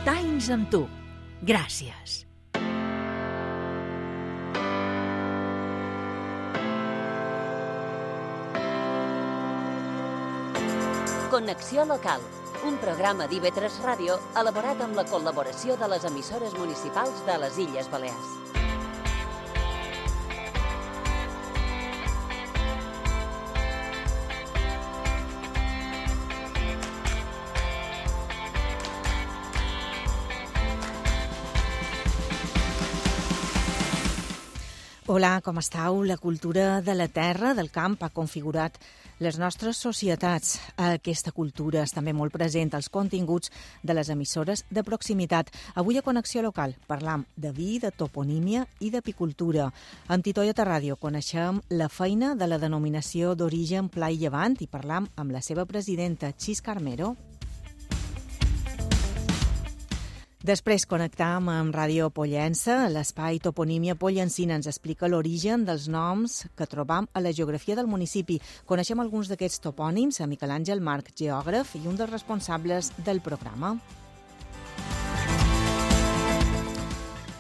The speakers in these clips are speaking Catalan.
40 anys amb tu. Gràcies. Connexió local, un programa d'IV3 Ràdio elaborat amb la col·laboració de les emissores municipals de les Illes Balears. Hola, com estàu? La cultura de la terra, del camp, ha configurat les nostres societats. Aquesta cultura és també molt present als continguts de les emissores de proximitat. Avui a Connexió Local parlam de vi, de toponímia i d'apicultura. Amb Titoieta Ràdio coneixem la feina de la denominació d'origen Pla i Llevant i parlam amb la seva presidenta, Xis Carmero. Després connectam amb Ràdio Pollença. L'espai Toponímia Pollencina ens explica l'origen dels noms que trobam a la geografia del municipi. Coneixem alguns d'aquests topònims a Miquel Àngel Marc, geògraf i un dels responsables del programa.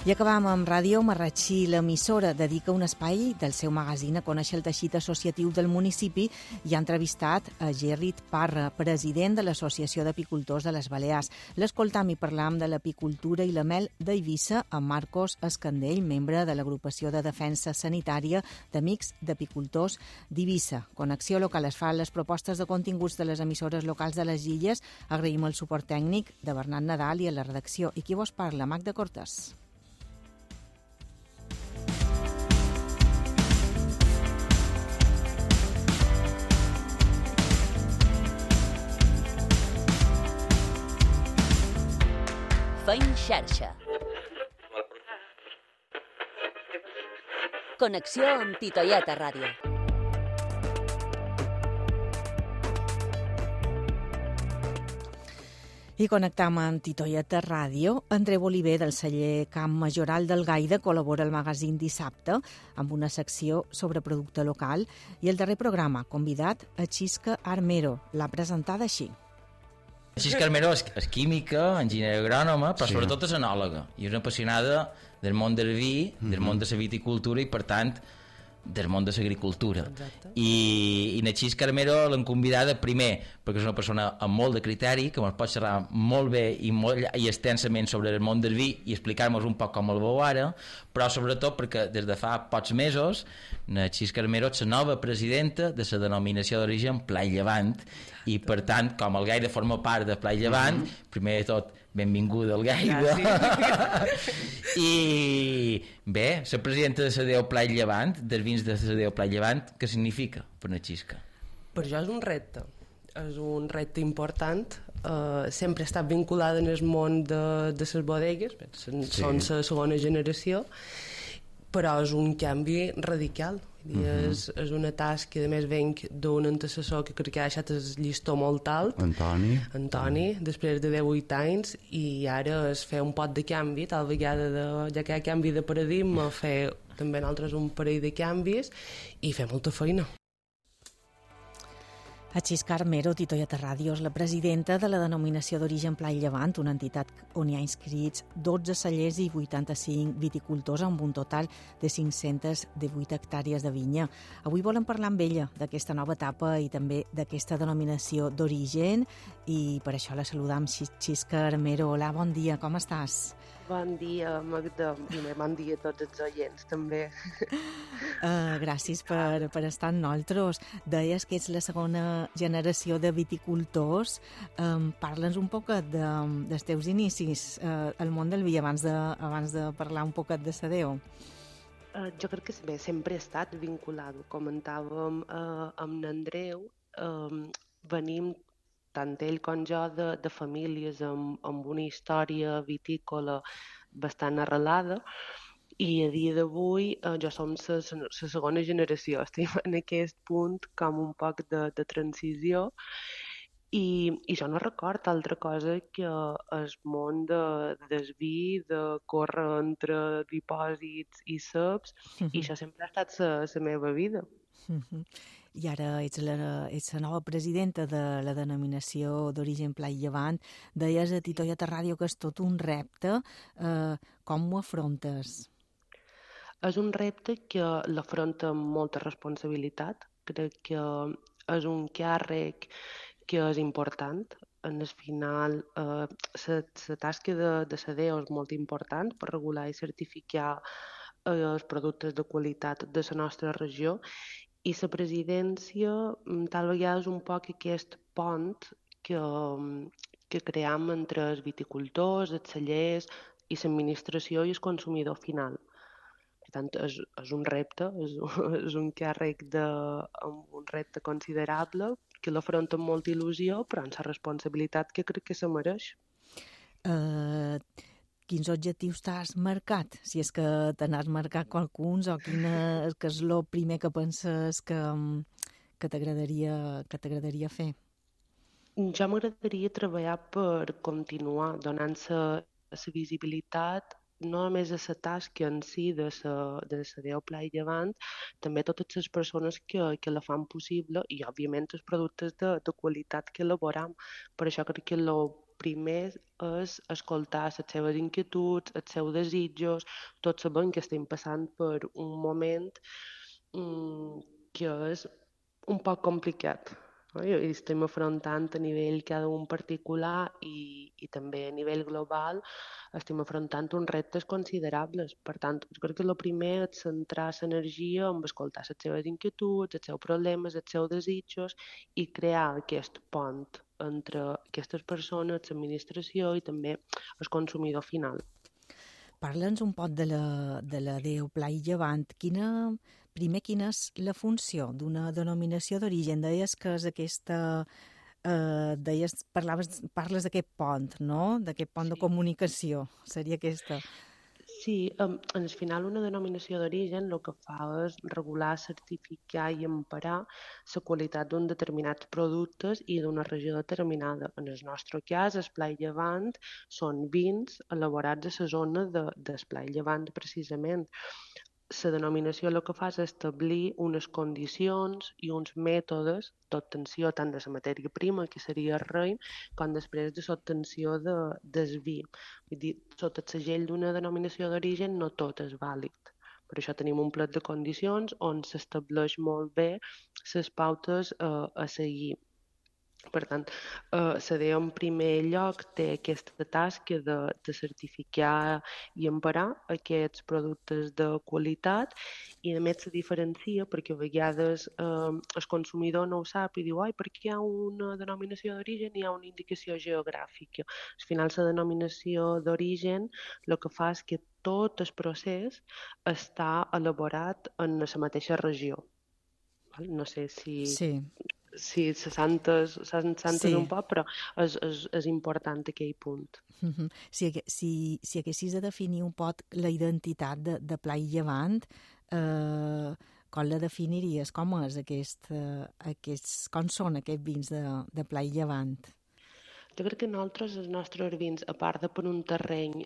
I acabam amb Ràdio Marratxí. L'emissora dedica un espai del seu magazín a conèixer el teixit associatiu del municipi i ha entrevistat a Gerrit Parra, president de l'Associació d'Apicultors de les Balears. L'escoltam i parlam de l'apicultura i la mel d'Eivissa amb Marcos Escandell, membre de l'Agrupació de Defensa Sanitària d'Amics d'Apicultors d'Eivissa. Connexió Local es fa les propostes de continguts de les emissores locals de les Illes. Agraïm el suport tècnic de Bernat Nadal i a la redacció. I qui vos parla? Magda Cortés. Feim xarxa. Connexió amb Titoieta Ràdio. I connectam amb Titoieta Ràdio. Andreu Oliver, del celler Camp Majoral del Gaida, col·labora al magazín Dissabte amb una secció sobre producte local i el darrer programa, convidat a Xisca Armero. L'ha presentada així. Xisca Armero és química, enginyera agrònoma, però sobretot és enòloga i és una apassionada del món del vi, del món de la viticultura i, per tant, del món de l'agricultura. I la Xisca Armero l'hem convidada primer perquè és una persona amb molt de criteri, que ens pot xerrar molt bé i extensament sobre el món del vi i explicar-nos un poc com el veu ara, però sobretot perquè des de fa pocs mesos la Xisca Armero és la nova presidenta de la denominació d'origen Pla i Llevant i, per tant, com el Gaida forma part de Pla i Llevant, primer de tot, benvinguda al Gaida. I bé, la presidenta de la Deu Pla i Llevant, dels vins de la Deu Pla i Llevant, què significa per una Xisca? Per jo és un repte important. Sempre he estat vinculada en el món de les bodegues, són la segona generació, però és un canvi radical. És una tasca, a més venc d'un antecessor que crec que ha deixat el llistó molt alt, Antoni, després de 18 anys, i ara es fer un pot de canvi, tal vegada ja que hi ha canvi de paradigma, fer també nosaltres un parell de canvis i fer molta feina. A Xisca Armero, Titoieta Ràdio, és la presidenta de la denominació d'origen Pla i Llevant, una entitat on hi ha inscrits 12 cellers i 85 viticultors amb un total de 518 hectàrees de vinya. Avui volem parlar amb ella d'aquesta nova etapa i també d'aquesta denominació d'origen i per això la saludam. Xisca Armero, hola, bon dia, com estàs? Bon dia, Magda, i bon dia a tots els oients, també. Gràcies per estar amb nosaltres. Deies que ets la segona generació de viticultors. Parla'ns un poc dels teus inicis al món del vi abans de parlar un poc de Sadeo. Jo crec que bé, sempre he estat vinculat. Ho comentàvem amb l'Andreu. Venim tant ell com jo de famílies amb una història vitícola bastant arrelada i a dia d'avui jo som la segona generació. Estem en aquest punt com un poc de transició i jo no record altra cosa que el món del vi, de córrer entre dipòsits i ceps, i això sempre ha estat la meva vida. i ara ets la nova presidenta de la denominació d'origen Pla i Llevant. Deies a Titoieta Ràdio que és tot un repte. Com ho afrontes? És un repte que l'afronta amb molta responsabilitat. Crec que és un càrrec que és important. En el final, la tasca de la DEO és molt important per regular i certificar els productes de qualitat de la nostra regió, i la presidència tal vegada és un poc aquest pont que cream entre els viticultors, els cellers i l'administració i el consumidor final. Per tant, és un repte, és un càrrec amb un repte considerable que l'afronta amb molta il·lusió, però amb la responsabilitat que crec que se mereix. Quins objectius t'has marcat? Si és que te n'has marcat qualcuns, o que és el primer que penses que t'agradaria fer? Ja m'agradaria treballar per continuar donant la visibilitat no només a la tasca en si de la DEO Pla i Llevant, també a totes les persones que la fan possible i, òbviament, els productes de qualitat que elaboram. Per això crec que el primer és escoltar les seves inquietuds, els seus desitjos. Tots sabem que estem passant per un moment que és un poc complicat. I estem afrontant a nivell cada un particular i també a nivell global estem afrontant uns reptes considerables. Per tant, jo crec que el primer és centrar l'energia en escoltar les seves inquietuds, els seus problemes, els seus desitjos i crear aquest pont entre aquestes persones, l'administració i també el consumidor final. Parla'ns un poc de la DEO Pla i Llevant. Primer, quina és la funció d'una denominació d'origen? Deies que és aquesta... parles d'aquest pont, no? D'aquest pont de comunicació. Seria aquesta. Sí, al final una denominació d'origen el que fa és regular, certificar i emparar la qualitat d'un determinats productes i d'una regió determinada. En el nostre cas, el Pla i Llevant són vins elaborats a la zona del Pla i Llevant, precisament. La denominació el que fa és establir unes condicions i uns mètodes d'obtenció tant de la matèria prima, que seria el raïm, com després de l'obtenció del vi. Vull dir, sota el segell d'una denominació d'origen no tot és vàlid. Per això tenim un plec de condicions on s'estableix molt bé les pautes a seguir. Per tant, la DEO en primer lloc té aquesta tasca de certificar i emparar aquests productes de qualitat i a més se diferencia perquè a vegades el consumidor no ho sap i diu per què hi ha una denominació d'origen i hi ha una indicació geogràfica. Al final la denominació d'origen el que fa és que tot el procés està elaborat en la mateixa regió. No sé si... Sí. Sí, se sentes un poc, però és important aquell punt. Si haguessis de definir un poc la identitat de Pla i Llevant, com la definiries? Com són aquests vins de Pla i Llevant? Jo crec que nosaltres, els nostres vins, a part de per un terreny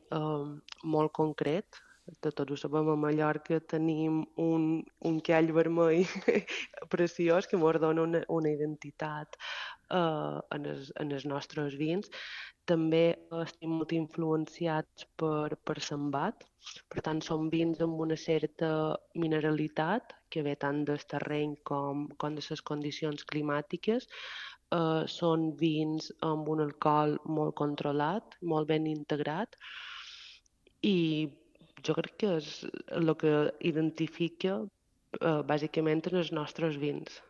molt concret, tots ho sabem, a Mallorca tenim un call vermell preciós que ens dona una identitat en els nostres vins. També estem molt influenciats per l'embat, per tant són vins amb una certa mineralitat que ve tant del terreny com de les condicions climàtiques. Són vins amb un alcohol molt controlat, molt ben integrat i jo crec que és el que identifica bàsicament els nostres vins.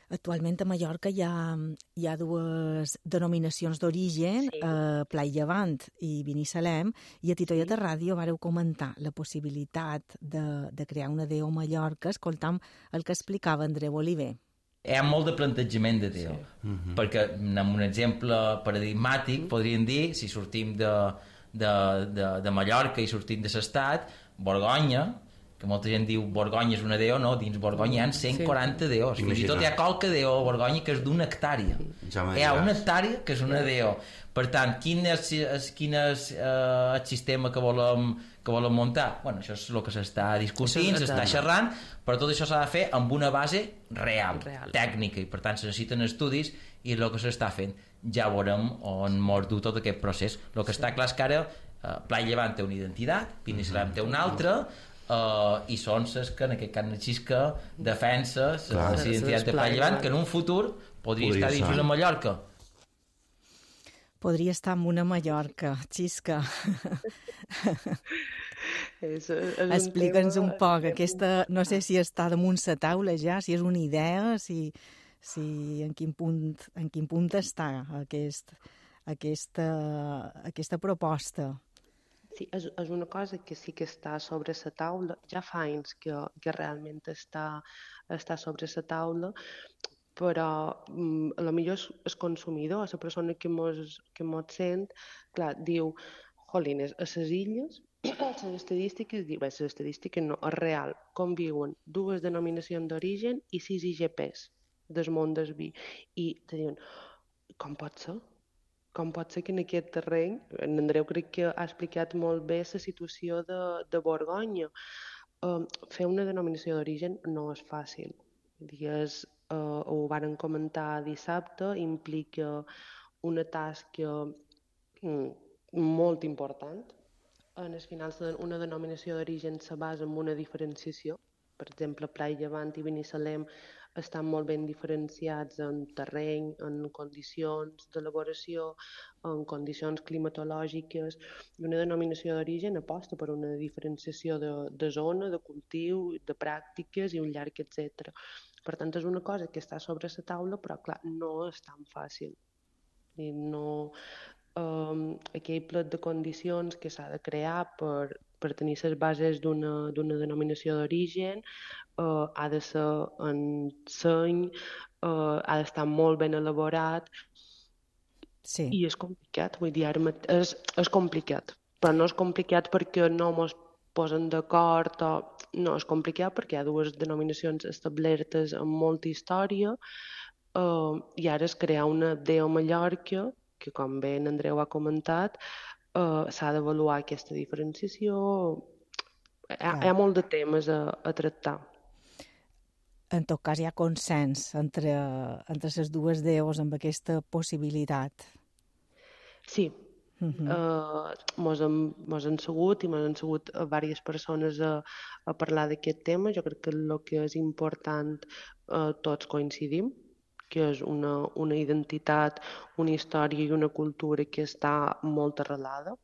Actualment a Mallorca hi ha dues denominacions d'origen, sí. Pla i Llevant i Binissalem, i a Titoieta Ràdio vareu comentar la possibilitat de crear una DEO a Mallorca, escoltam el que explicava Andreu Oliver. Hi ha molt de plantejament de DEO, perquè amb un exemple paradigmàtic podríem dir, si sortim de Mallorca i sortim de l'estat, Borgonya que molta gent diu Borgonya és una DO, no, dins Borgonya hi ha 140 DOs, fins i tot hi ha qualque DO a Borgonya que és d'una hectàrea, hi ha una hectàrea que és una DO. Per tant, quin és el sistema que volem muntar? Bueno, això és el que s'està discutint, s'està xerrant, però tot això s'ha de fer amb una base real, tècnica, i per tant se necessiten estudis, i el que s'està fent ja veurem on mos du tot aquest procés. El que està clar és que ara Pla Llevant té una identitat, Binissalem té una altra, i són les que en aquest cas Xisca defensa la identitat de Pla Llevant, que en un futur podria estar dins una Mallorca. Podria estar en una Mallorca, Xisca. Explica'ns un poc, aquesta, no sé si està damunt la taula ja, si és una idea, si en quin punt està aquesta proposta. Sí, és una cosa que sí que està sobre la taula, ja fa anys que realment està sobre la taula, però potser el consumidor, la persona que mos sent, clar, diu, jolines, a les illes, les estadístiques no, és real, conviuen 2 denominacions d'origen i 6 IGPs del món del vi. I te diuen, com pot ser? Com pot ser que en aquest terreny, en Andreu crec que ha explicat molt bé la situació de Borgonya. Fer una denominació d'origen no és fàcil. Ho varen comentar dissabte, implica una tasca molt important. En el final, una denominació d'origen se basa en una diferenciació. Per exemple, Pla Llevant i Binissalem estan molt ben diferenciats en terreny, en condicions d'elaboració, en condicions climatològiques, i una denominació d'origen aposta per una diferenciació de zona, de cultiu, de pràctiques i un llarg etcètera. Per tant, és una cosa que està sobre la taula, però clar, no és tan fàcil. I no, aquell plet de condicions que s'ha de crear per tenir les bases d'una denominació d'origen, ha de ser en seny, ha d'estar molt ben elaborat, i és complicat, vull dir, és complicat, però no és complicat perquè no mos posen d'acord, no, és complicat perquè hi ha 2 denominacions establertes amb molta història, i ara es crear una DO Mallorca, que com bé en Andreu ha comentat, s'ha d'avaluar aquesta diferenciació, hi ha molt de temes a tractar. En tot cas, hi ha consens entre les 2 DOs amb aquesta possibilitat. Sí. Mos han segut diverses persones a parlar d'aquest tema. Jo crec que el que és important, tots coincidim, que és una identitat, una història i una cultura que està molt arrelada.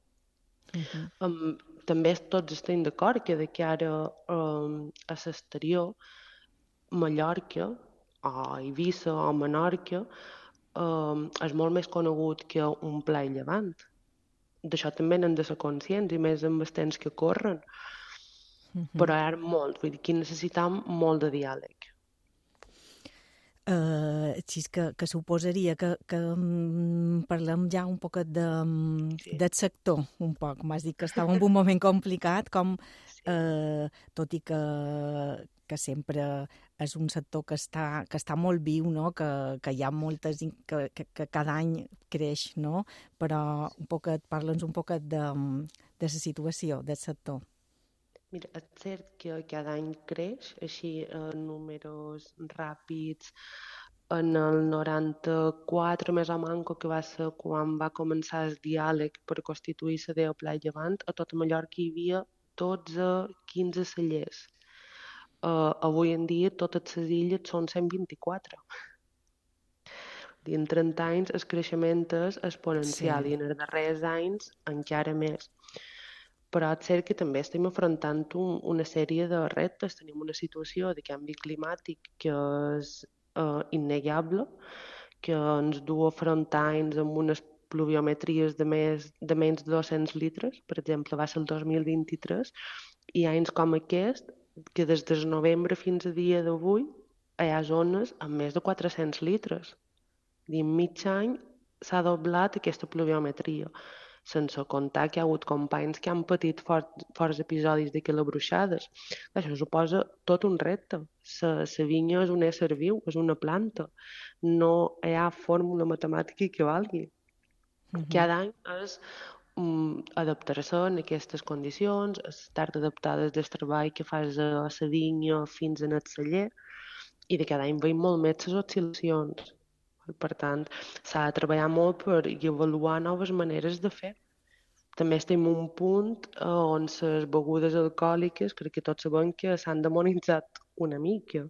També tots estem d'acord que de cara a l'exterior, Mallorca, o Eivissa o Menorca, és molt més conegut que un Pla i Llevant. D'això també n'hem de ser conscients, i més amb els temps que corren. Però hi ha molt, vull dir, que necessitem molt de diàleg. Així que suposaria que parlem ja un poquet del sector, un poc. M'has dit que estava en un moment complicat, tot i que sempre és un sector que està molt viu, no? Que hi ha moltes, que cada any creix, no? Però parla'ns un poquet de la situació del sector. Mira, és cert que cada any creix, així en números ràpids. En el 94, més o manco, que va ser quan va començar el diàleg per constituir la DO Pla i Llevant, a tota Mallorca hi havia 12-15 cellers. Avui en dia totes les illes són 124. En 30 anys el creixement és exponencial, i en els darrers anys encara més. Però és cert que també estem afrontant una sèrie de reptes. Tenim una situació de canvi climàtic que és innegable, que ens du a afrontar anys amb unes pluviometries de menys de 200 litres, per exemple, va ser el 2023, i anys com aquest, que des del novembre fins a dia d'avui hi ha zones amb més de 400 litres. En mig any s'ha doblat aquesta pluviometria. sense comptar que hi ha hagut companys que han patit forts episodis d'aquelles bruixades. Això suposa tot un repte. La vinya és un ésser viu, és una planta. No hi ha fórmula matemàtica que valgui. Cada any és adaptar-se en aquestes condicions, estar adaptades del treball que fas a la vinya fins en el celler, i de cada any veiem molt més les oscil·lacions. Per tant, s'ha de treballar molt per avaluar noves maneres de fer. També estem en un punt on les begudes alcohòliques, crec que tots sabem que s'han demonitzat una mica.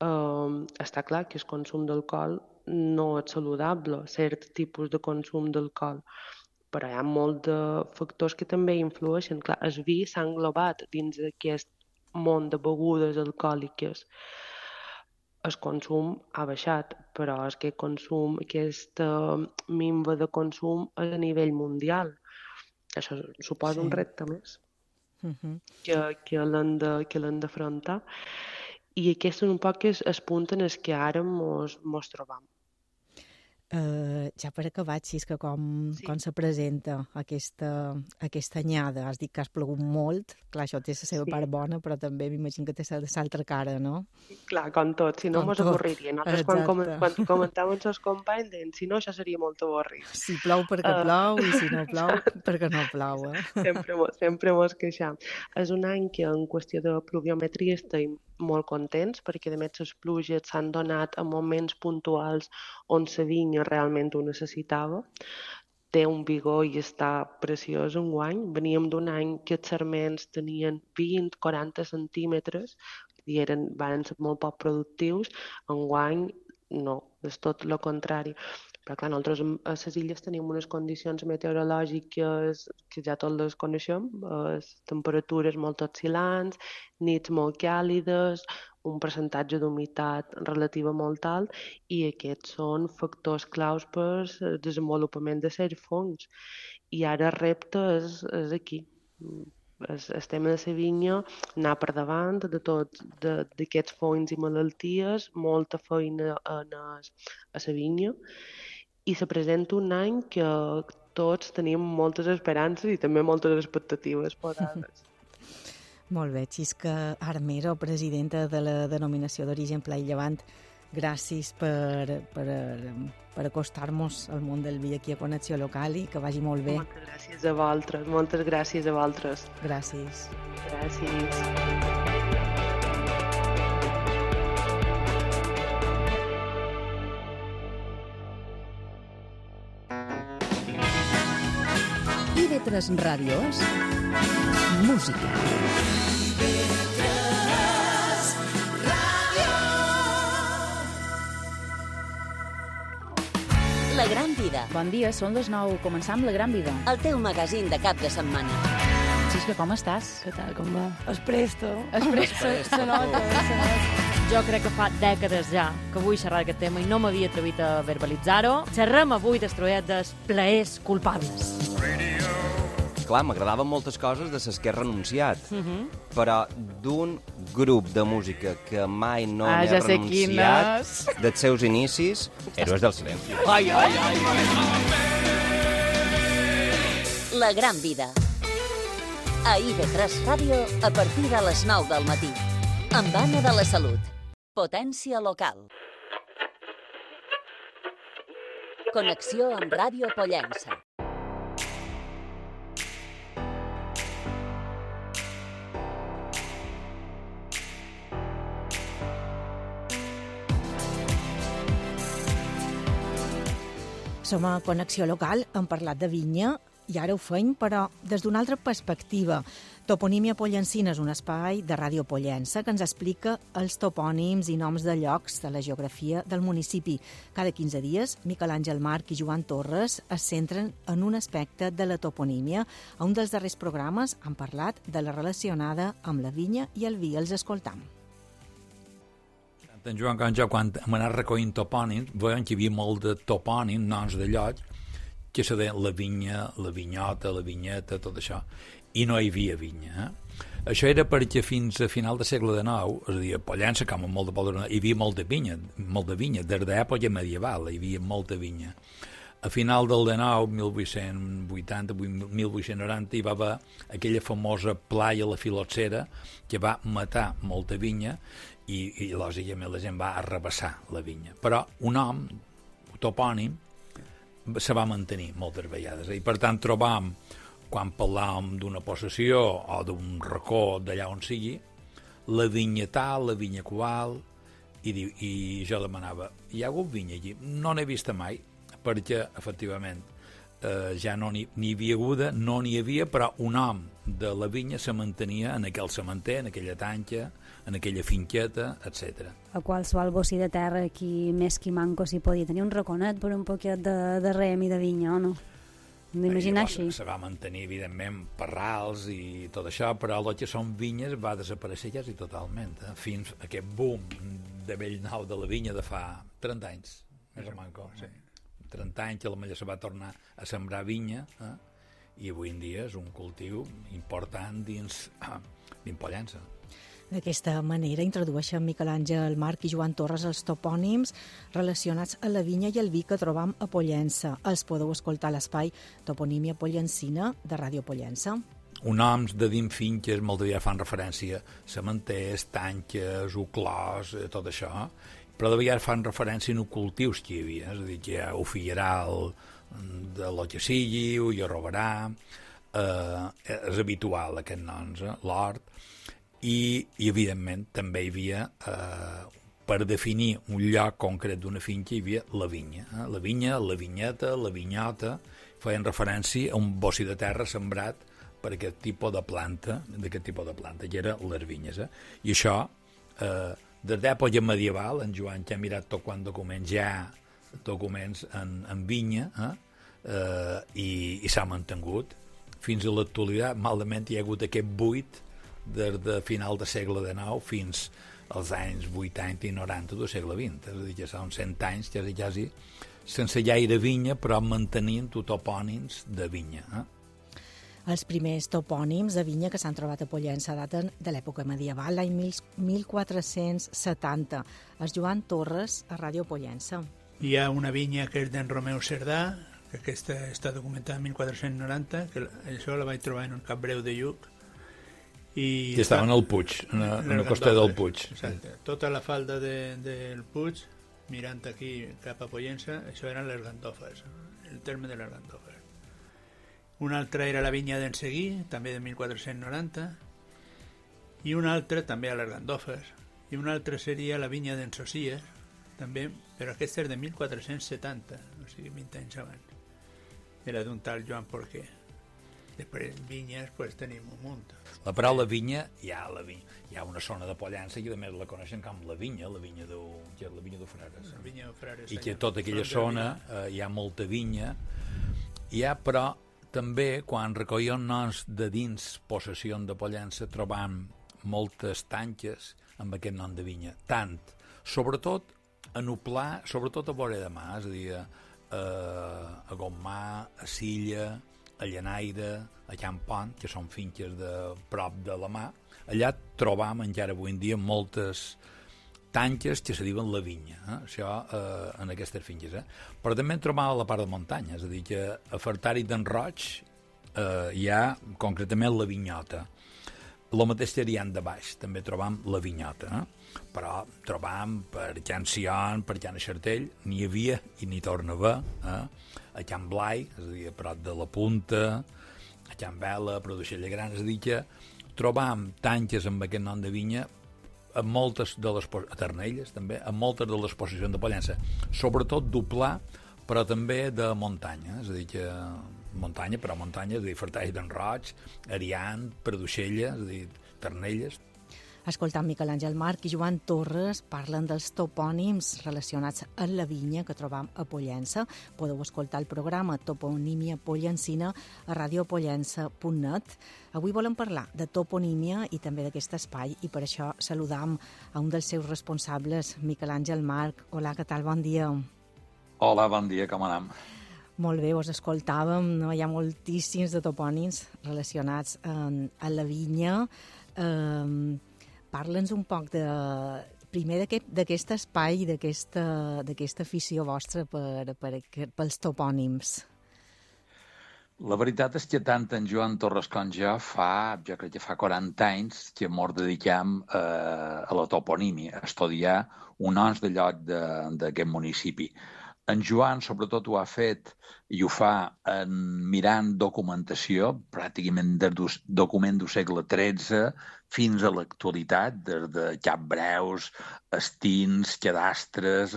Està clar que el consum d'alcohol no és saludable, cert tipus de consum d'alcohol, però hi ha molts de factors que també influeixen. Clar, el vi s'ha englobat dins d'aquest món de begudes alcohòliques. El consum ha baixat, però aquesta minva de consum és a nivell mundial. Això suposa un repte més que l'hem d'afrontar. I aquest és un poc el punt en el que ara mos trobam. Ja per acabar, Xisca, com se presenta aquesta anyada? Has dit que has plegut molt, clar, això té la seva part bona, però també m'imagino que té l'altra cara, no? Clar, com tot, si no mos avorriria. Nosaltres quan comentàvem amb els companys deien, si no, això seria molt avorrit. Si plou perquè plou i si no plou perquè no plou, Sempre mos queixam. És un any que en qüestió de pluviometria estem molt contents, perquè a més les pluges s'han donat en moments puntuals on la vinya realment ho necessitava. Té un vigor i està preciós enguany. Veníem d'un any que els sarments tenien 20-40 centímetres i van ser molt poc productius. Enguany no, és tot el contrari. Però clar, nosaltres a les illes tenim unes condicions meteorològiques que ja tots les coneixem, temperatures molt oscil·lants, nits molt càlides, un percentatge d'humitat relativa molt alt, i aquests són factors claus per el desenvolupament de certs fongs. I ara el repte és aquí. El tema de la vinya, anar per davant de tots d'aquests fongs i malalties, molta feina a la vinya, i se presenta un any que tots tenim moltes esperances i també moltes expectatives posades. Molt bé, Xisca Armero, presidenta de la denominació d'origen Pla i Llevant, gràcies per acostar-nos al món del vi aquí a Connexió Local i que vagi molt bé. Moltes gràcies a vosaltres, moltes gràcies a vosaltres. Gràcies. Gràcies. IB3 Ràdio és música. La Gran Vida. Bon dia, són les 9. Començam La Gran Vida. El teu magazín de cap de setmana. Xisca, com estàs? Què tal, com va? Es presto. Se nota. Jo crec que fa dècades ja que vull xerrar d'aquest tema i no m'havia atrevit a verbalitzar-ho. Xerrem avui d'estruet dels plaers culpables. Clar, m'agradaven moltes coses de les que he renunciat, però d'un grup de música que mai no n'he renunciat dels seus inicis, Héroes del Silenci. La Gran Vida. A IB3 Ràdio a partir de les 9 del matí. Amb Anna de la Salut. Potència local. Connexió amb Ràdio Pollença. Som a Connexió Local, hem parlat de vinya i ara ho fem, però des d'una altra perspectiva. Toponímia Pollencina és un espai de Ràdio Pollença que ens explica els topònims i noms de llocs de la geografia del municipi. Cada 15 dies, Miquel Àngel Marc i Joan Torres es centren en un aspecte de la toponímia. A un dels darrers programes han parlat de la relacionada amb la vinya i el vi. Els escoltam. En Joan Canja, quan hem anat recollint topònims, veiem que hi havia molt de topònims, noms de llocs, que se deien la vinya, la vinyota, la vinyeta, tot això, i no hi havia vinya. Això era perquè fins a final del segle XIX, és a dir, a Pollença, com molt de Pollença, hi havia molta vinya, des de l'època medieval hi havia molta vinya. A final del 19, 1880, 1890, hi va haver aquella famosa plaia, la Filoxera, que va matar molta vinya i lògicament la gent va arrabassar la vinya. Però un nom, topònim, se va mantenir moltes vegades. I per tant trobam, quan parlàvem d'una possessió o d'un racó d'allà on sigui, la vinya tal, la vinya qual, i jo demanava, hi ha hagut vinya allí? No n'he vista mai, perquè, efectivament, ja no n'hi havia haguda, no n'hi havia, però un nom de la vinya se mantenia en aquell cementer, en aquella tanca, en aquella finqueta, etc. A qualsevol bocí de terra, qui més qui manco s'hi podia tenir un raconet per un poquet de rem i de vinya, o no? D'imaginar així. Se va mantenir, evidentment, parrals i tot això, però el que són vinyes va desaparèixer quasi totalment, fins a aquest boom de vell nou de la vinya de fa 30 anys, més o manco, sí. 30 anys que la Malla se va tornar a sembrar vinya, i avui en dia és un cultiu important dins Pollença. D'aquesta manera introdueixen Miquel Àngel March i Joan Torres els topònims relacionats a la vinya i el vi que trobam a Pollença. Els podeu escoltar a l'espai Toponímia Pollencina de Ràdio Pollença. Un noms de dins finques molt aviat fan referència a cementers, tanques, uclòs, tot això, però de vegades fan referència a cultius que hi havia, és a dir, que hi ha o figueral de lo que sigui, o hi robarà, és habitual aquest noms, l'hort, i evidentment també hi havia, per definir un lloc concret d'una finca, hi havia la vinya, la vinya, la vinyeta, la vinyota, feien referència a un bocí de terra sembrat per aquest tipus de planta, que eren les vinyes. I això, des d'època medieval, en Joan que ha mirat tot quant documents en vinya, i s'ha mantingut. Fins a l'actualitat, malament hi ha hagut aquest buit des de final del segle XIX fins als anys 80 i 90 del segle XX. És a dir, que són 100 anys, quasi, sense gaire vinya, però mantenint topònims de vinya. Els primers topònims de vinya que s'han trobat a Pollença daten de l'època medieval, l'any 1470. El Joan Torres, a Ràdio Pollença. Hi ha una vinya que és d'en Romeu Cerdà, que aquesta està documentada en 1490, que això la vaig trobar en un cap breu de Lluc. I estava en el Puig, en el costat del Puig. Exacte. Tota la falda del Puig, mirant aquí cap a Pollença, això eren les Gandofes, el terme de les Gandofes. Una altra era la vinya d'en Seguí, també de 1490, i una altra també a les Gandofes, i una altra seria la vinya d'en Socies, també, però aquesta és de 1470, o sigui, 20 anys abans. Era d'un tal Joan Porquer. Després, vinyes, pues, tenim un munt. La paraula vinya, hi ha una zona de Pollença que a més la coneixen com la vinya de Frares. La vinya de Frares. I que tota aquella zona hi ha molta vinya. Hi ha, però, també, quan recollíem noms de dins possessió de Pollença, trobam moltes tanques amb aquest nom de vinya. Tant, sobretot a Nuplà, sobretot a Vora de Mar, és a dir, a Gommà, a Silla, a Llanaire, a Campont, que són finques de prop de la mà. Allà trobam encara avui en dia moltes tanques que se diuen la vinya, això en aquestes finques. Però també en trobam a la part de muntanya, és a dir, que a Fartari d'en Roig hi ha concretament la vinyota. El mateix Teriant de Baix, també trobam la vinyota, però trobam per Can Sion, per Can Xartell, n'hi havia i n'hi torna a haver, a Can Blai, és a dir, a prop de la Punta, a Can Vela, a Produixella Gran, és a dir, que trobam tanques amb aquest nom de vinya a moltes de les a Ternelles, també, a moltes de les possessions de Pollença, sobretot d'Uplà, però també de muntanya, és a dir, que muntanya, és a dir, Fartall d'en Roig, Ariant, Produixella, és a dir, Ternelles. Escoltant Miquel Àngel March i Joan Torres parlen dels topònims relacionats amb la vinya que trobam a Pollença. Podeu escoltar el programa Toponímia Pollencina a radiopollença.net. Avui volem parlar de toponímia i també d'aquest espai i per això saludam a un dels seus responsables, Miquel Àngel March. Hola, què tal? Bon dia. Hola, bon dia, com anem? Molt bé, us escoltàvem, no? Hi ha moltíssims de topònims relacionats amb la vinya. Parla'ns un poc de primer d'aquest espai, d'aquesta afició vostra pels topònims. La veritat és que tant en Joan Torres com jo crec que fa 40 anys que ens dediquem a la toponímia, a estudiar un ons de lloc d'aquest municipi. En Joan, sobretot, ho ha fet i ho fa mirant documentació, pràcticament des del document del segle XIII fins a l'actualitat, des de capbreus, estins, cadastres,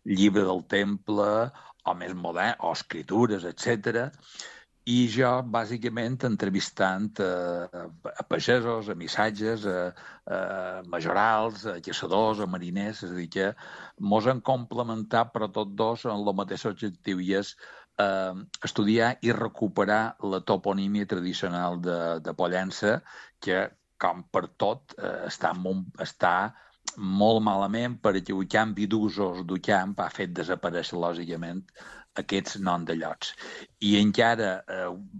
llibre del temple, o més modern, o escritures, etc. I jo, bàsicament, entrevistant a pagesos, a missatges, a majorals, a caçadors, a mariners, és a dir, que mos han complementat, però tots dos en el mateix objectiu, i és estudiar i recuperar la toponímia tradicional de Pollença, que, com per tot, està molt malament perquè el canvi d'usos del camp ha fet desaparèixer, lògicament, aquests noms de llocs. I encara,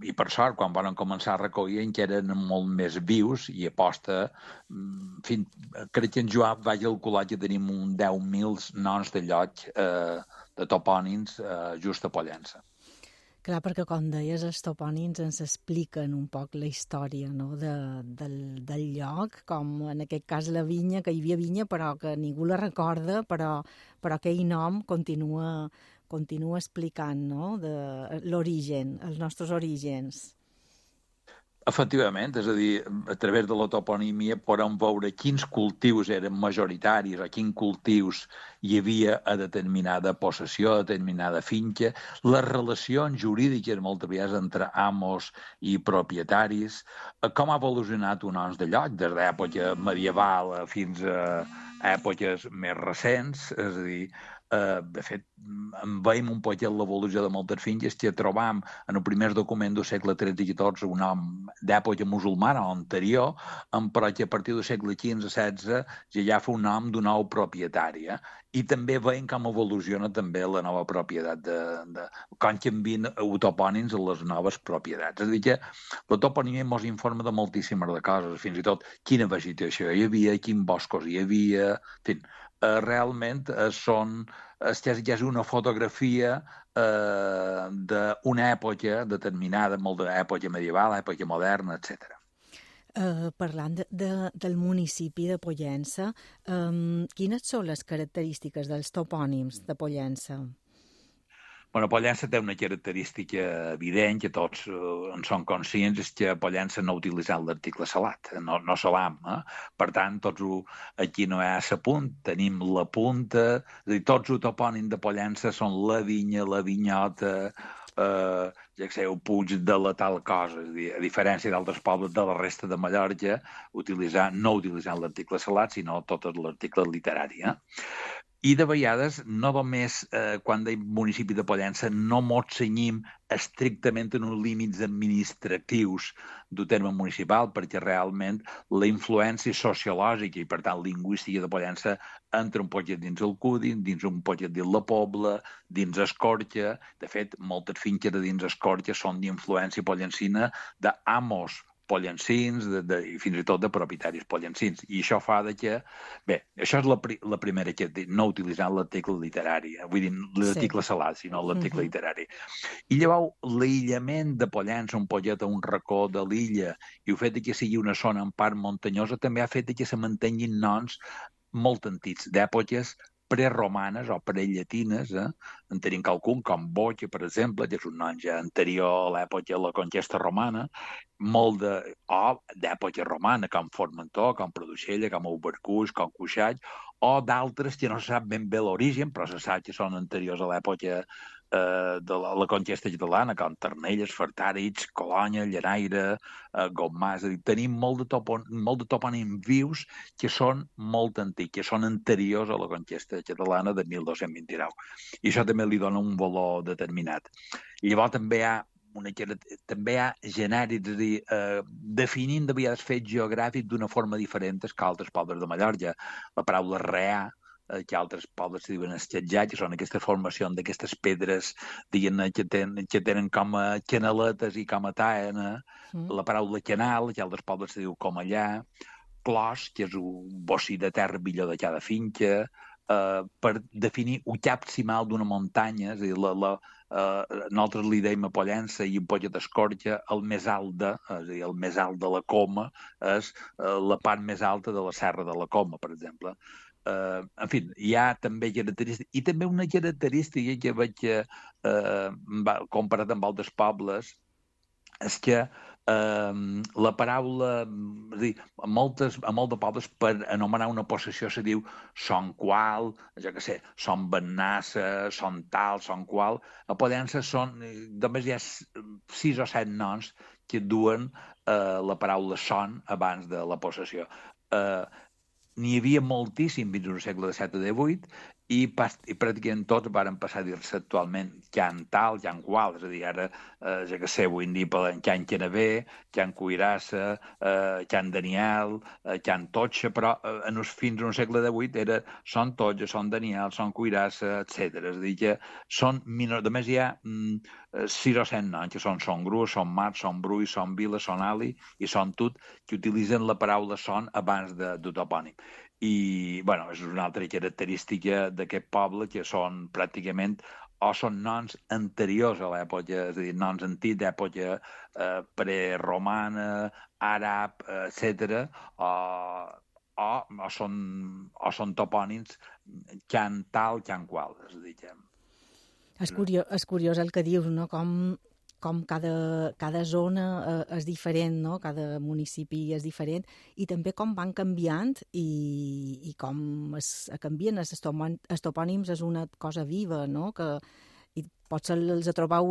i per sort, quan van començar a recollir, encara eren molt més vius i aposta, crec que en Joan va calcular que tenim un 10.000 noms de lloc de topònims just a Pollença. Clar, perquè, com deies, els topònims ens expliquen un poc la història, no?, del lloc, com en aquest cas la vinya, que hi havia vinya però que ningú la recorda, però aquell nom continua explicant, no?, de l'origen, els nostres orígens. Efectivament, és a dir, a través de la toponímia podem veure quins cultius eren majoritaris o quins cultius hi havia a determinada possessió, a determinada finca, les relacions jurídiques moltes vegades entre amos i propietaris, com ha evolucionat un ons de lloc des d'època medieval fins a èpoques més recents, és a dir, de fet, veiem un poc l'evolució de moltes finques que trobam en el primer document del segle XIII i XIV un nom d'època musulmana o anterior, però que a partir del segle XV-XVI ja fa un nom d'un nou propietari. I també veiem com evoluciona també la nova propietat, com canvien topònims a les noves propietats. És a dir, que la toponímia ens informa de moltíssimes de coses, fins i tot quina vegetació hi havia, quins boscos hi havia, realment és una fotografia d'una època determinada, molt d'època medieval, època moderna, etc. Parlant del municipi de Pollença, quines són les característiques dels topònims de Pollença? Pollença té una característica evident, que tots en són conscients, és que Pollença no ha utilitzat l'article salat, no salam. Per tant, tots aquí no hi ha la punta, tenim la punta, és a dir, tots els topònims de Pollença són la vinya, la vinyota, el puig de la tal cosa, és a dir, a diferència d'altres pobles de la resta de Mallorca, no utilitzant l'article salat, sinó tot l'article literari. I de vegades, no només quan deim municipi de Pollença, no mos cenyim estrictament en uns límits administratius del terme municipal, perquè realment la influència sociològica i, per tant, lingüística de Pollença entra un poquet dins el Cudi, dins un poquet dins la Pobla, dins Escorca. De fet, moltes finques de dins Escorca són d'influència pollencina d'amos pollencins i fins i tot de propietaris pollencins. I això fa que... Bé, això és la primera que no utilitzant l'article literari, vull dir, l'article salat, sinó l'article literari. I llavors, l'aïllament de Pollença, un poquet a un racó de l'illa, i el fet que sigui una zona en part muntanyosa, també ha fet que se mantenguin noms molt antics, d'èpoques preromanes o prellatines. En tenim qualcun, com Boca, per exemple, que és un nom ja anterior a l'època de la conquesta romana, molt d'època romana, com Formentor, com Produixella, com Ubercuix, com Cuixall, o d'altres que no se sap ben bé l'origen, però se sap que són anteriors a l'època de la conquesta catalana, com Ternelles, Fartàrits, Colònia, Lleraire, Gomà. És a dir, tenim molt de topònims vius que són molt antics, que són anteriors a la conquesta catalana de 1229. I això també li dona un valor determinat. I llavors també hi ha genèrics, és a dir, definint de vegades fets geogràfics d'una forma diferent que altres pobles de Mallorca. La paraula reà, que altres pobles se diuen esquetjar, que són aquestes formacions d'aquestes pedres que tenen com a canaletes i com a taena. La paraula canal, que altres pobles se diu com allà, clos, que és un bocí de terra millor de cada finca, per definir el cap cimal d'una muntanya, és a dir, nosaltres li deim a Pollença i en Polla d'Escorja el més alt és a dir, el més alt de la Coma és la part més alta de la Serra de la Coma, per exemple. En fi, hi ha també característiques, i també una característica que veig comparat amb altres pobles, és que la paraula, és a dir, a molts de pobles per anomenar una possessió se diu son qual, jo què sé, son Bennassa, son tal, son qual. A Pollença només hi ha 6 o 7 noms que duen la paraula son abans de la possessió. N'hi havia moltíssim fins al segle XVII o XVIII i pràcticament tots varen passar a dir-se actualment Can tal, Can qual, és a dir, ara, ja que sé, avui en dia parlen Can Canabé, Can Cuirassa, Can Daniel, Can Totxa, però fins al segle XVIII era Son Totxa, Son Daniel, Son Cuirassa, etc. És a dir, que són menors. A més, hi ha 6 o 7 noms, que són Son Gru, Son Mat, Son Brull, Son Vila, Son Ali i Son Tut, que utilitzen la paraula son abans de topònim. I, bueno, és una altra característica d'aquest poble, que són pràcticament o són noms anteriors a l'època, és a dir, noms antics d'època preromana, àrab, etc., o són topònims can tal, can qual, és a dir, que... És curiós el que dius, no?, com cada zona és diferent, no? Cada municipi és diferent, i també com van canviant i com canvien els topònims és una cosa viva, no? Que potser els trobar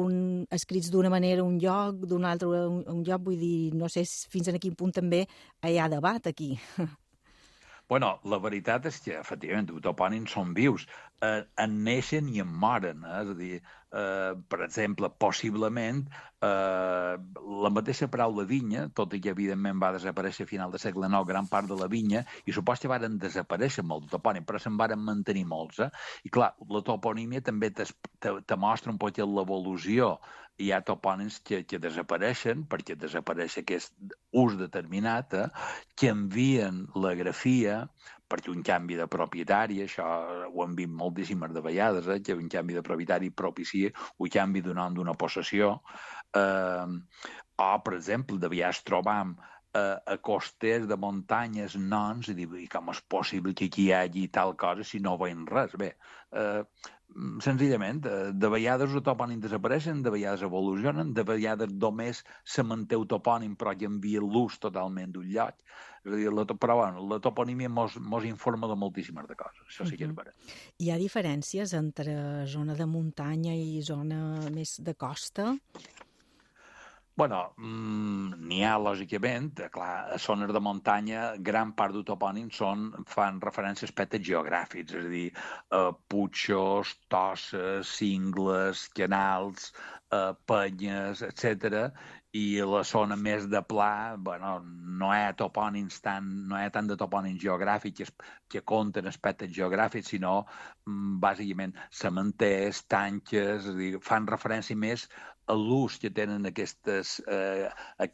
escrits d'una manera un lloc, d'un altre un lloc, vull dir, no sé fins a quin punt també hi ha debat aquí. Bueno, la veritat és que, efectivament, els topònims són vius, en neixen i en moren, és a dir, per exemple, possiblement la mateixa paraula vinya, tot i que evidentment va desaparèixer a final del segle IX gran part de la vinya, i supos que varen desaparèixer molts topònims, però se'n varen mantenir molts. I clar, la toponímia també te mostra un poc l'evolució. Hi ha topònims que desapareixen, perquè desapareix aquest ús determinat, que envien la grafia perquè un canvi de propietari, això ho hem vist moltíssimes de vegades, que un canvi de propietari propicia un canvi d'un nom d'una possessió. O, per exemple, de vegades trobam a costers de muntanyes noms i com és possible que aquí hi hagi tal cosa si no veiem res. Bé, senzillament, de vegades els topònims desapareixen, de vegades evolucionen, de vegades només se manté el topònim però canvia l'ús totalment d'un lloc. És a dir, però bueno, la toponímia mos informa de moltíssimes de coses, això sí que és vera. Hi ha diferències entre zona de muntanya i zona més de costa? Bueno, n'hi ha, lògicament. Clar, a zones de muntanya, gran part dels topònims fan referència a aspectes geogràfics, és a dir, putxos, tosses, cingles, canals, penyes, etc. I la zona més de pla, bueno, no hi ha tant de topònims geogràfics que compten aspectes geogràfics, sinó, bàsicament, cementers, tanques, és a dir, fan referència més a l'ús que tenen aquest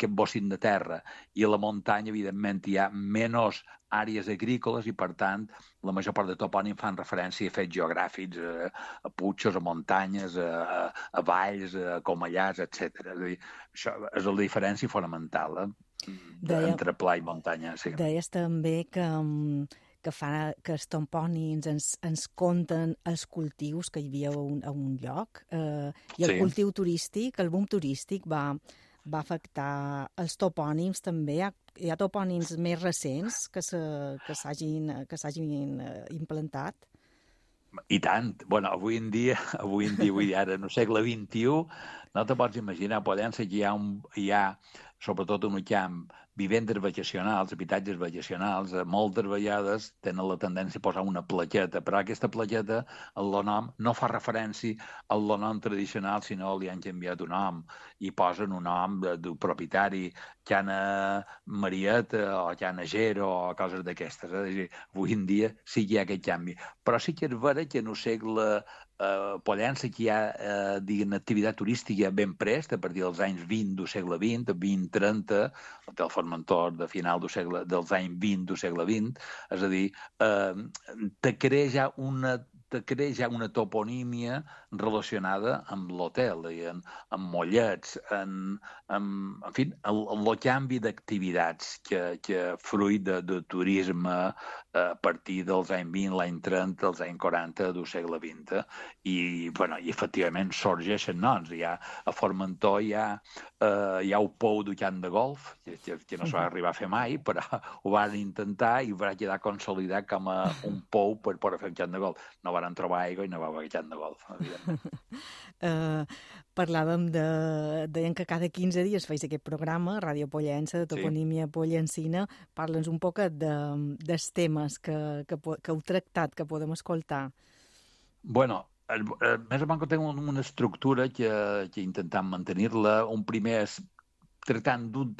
bocint de terra. I a la muntanya, evidentment, hi ha menys àrees agrícoles i, per tant, la major part de topònims fan referència a fets geogràfics, a putxos, a muntanyes, a valls, a comellars, etc. És a dir, això és la diferència fonamental entre pla i muntanya. Sí. Deies també que els topònims ens conten els cultius que hi havia a un lloc, i el cultiu turístic, el boom turístic va afectar els topònims també. Hi ha topònims més recents que s'hagin implantat? I tant. Bueno, avui en dia, ara, en el segle XXI, no te pots imaginar, a Pollença hi ha, sobretot en un camp, vivendes vacacionals, habitatges vacacionals, moltes vegades tenen la tendència a posar una plaqueta, però aquesta plaqueta, el nom, no fa referència al nom tradicional, sinó li han canviat un nom, i posen un nom del propietari, Cana Marieta, o Cana Gero, o coses d'aquestes. És a dir, avui en dia sí que hi ha aquest canvi. Però sí que és vera que en el segle Pollença que hi ha activitat turística ben prest, a partir dels anys 20 del segle XX, 20-30, el Formentor de final dels anys 20 del segle XX, és a dir, te crea ja una toponímia relacionada amb l'hotel, amb mollets, en fi, el canvi d'activitats que fruit de turisme a partir dels anys 20, l'any 30, els anys 40 del segle XX. I efectivament sorgeixen noms. A Formentor hi ha el pou del camp de golf, que no s'ha arribat a fer mai, però ho van intentar i va quedar consolidat com a un pou per poder fer un camp de golf. No van trobar aigua i no va haver camp de golf, evidentment. Parlàvem deien que cada 15 dies feis aquest programa, Ràdio Pollença, de toponímia pollencina. Parla'ns un poc dels temes que heu tractat, que podem escoltar. Bueno, més o menys tenim una estructura que intentem mantenir-la. Un primer és tractant d'un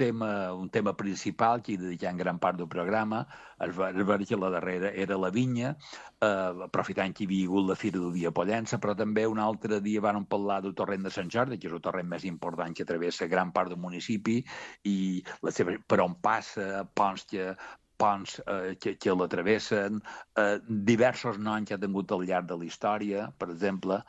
tema principal que hi dedicam gran part del programa. Es va veure que la darrera era la vinya, aprofitant que hi havia hagut la Fira del Dia Pollença, però també un altre dia vam parlar del torrent de Sant Jordi, que és el torrent més important que travessa gran part del municipi, i per on passa, ponts que la travessen, diversos noms que ha tingut al llarg de la història, per exemple.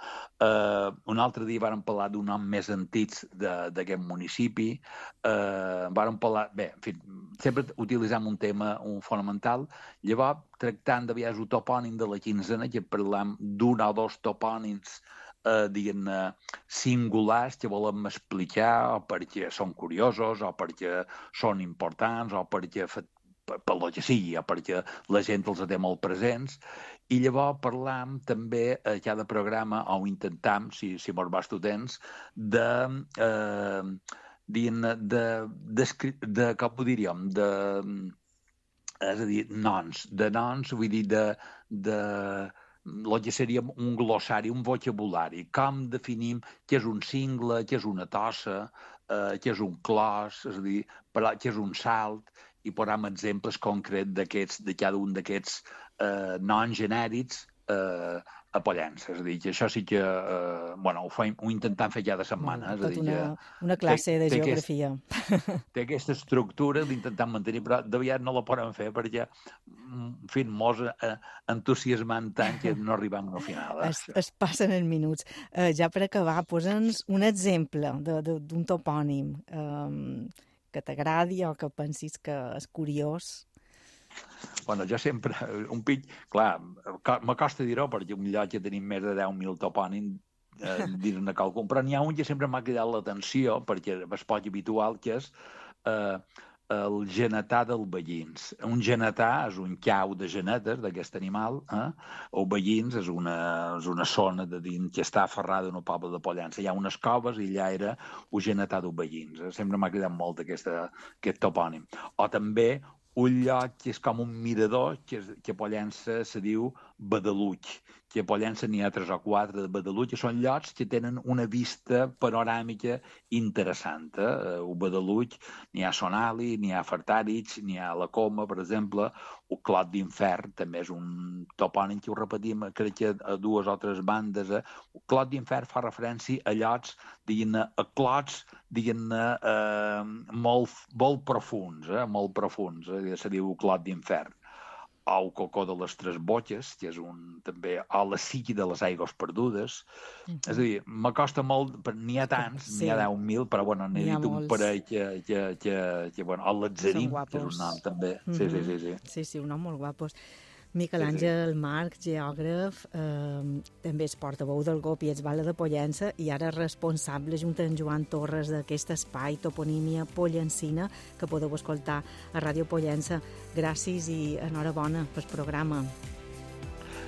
Un altre dia vàrem parlar d'un nom més antics d'aquest municipi. Vàrem parlar... Bé, en fi, sempre utilitzem un tema fonamental. Llavors, tractant de vegades el topònim de la quinzena, que parlem d'un o dos topònims diguem-ne, singulars que volem explicar, o perquè són curiosos, o perquè són importants, o perquè per lo que sigui, perquè la gent els té molt presents, i llavors parlam també a cada programa, o intentam, si mos va temps, com ho diríem, és a dir, noms, vull dir, el que seria un glossari, un vocabulari, com definim què és un cingle, què és una tossa, què és un clos, és a dir, què és un salt, i posem exemples concrets de cada un d'aquests noms genèrics a Pollença. És a dir, que això sí que ho intentem fer cada setmana. Una classe de geografia. Té aquesta estructura, l'intentem mantenir, però de vegades no la podem fer perquè, en fi, mos entusiasmant tant que no arribem al final. Es passen en minuts. Ja per acabar, posa'ns un exemple d'un topònim que t'agradi o que pensis que és curiós. Bueno, jo sempre, clar, m'acosta dir-ho perquè un lloc que tenim més de 10.000 topònims, dir-ne qualcun, però n'hi ha un que sempre m'ha cridat l'atenció perquè és poc habitual, que és el genetà del Veïns. Un genetà és un cau de genetes d'aquest animal, o Veïns és una zona de dins que està aferrada en el poble de Pollença. Hi ha unes coves i allà era el genetà del Veïns. Sempre m'ha cridat molt aquest topònim. O també un lloc que és com un mirador, que a Pollença se diu Badaluig, que a Pollença n'hi ha 3 o 4 de Badaluig, que són llocs que tenen una vista panoràmica interessant. A Badaluig n'hi ha Sonali, n'hi ha Fartàrits, n'hi ha la Coma, per exemple, o Clot d'Infern, també és un topònim que ho repetim, crec que a 2 o 3 bandes. Clot d'Infern fa referència a llocs, diguem-ne, a clots, diguem-ne, molt profuns, se diu Clot d'Infern. O el Cocó de les Tres Botxes, que és també, o la Siqui de les Aigües Perdudes. És a dir, m'acosta molt, n'hi ha tants, n'hi ha 10.000, però bueno, n'he dit un parell que bueno, el Latzarim, que és un nom també. Sí, un nom molt guapos. Miquel Àngel Marc, geògraf, també és portaveu del GOP i Etsbala de Pollença i ara responsable junt amb Joan Torres d'aquest espai Toponímia Pollencina que podeu escoltar a Ràdio Pollença. Gràcies i enhorabona pel programa.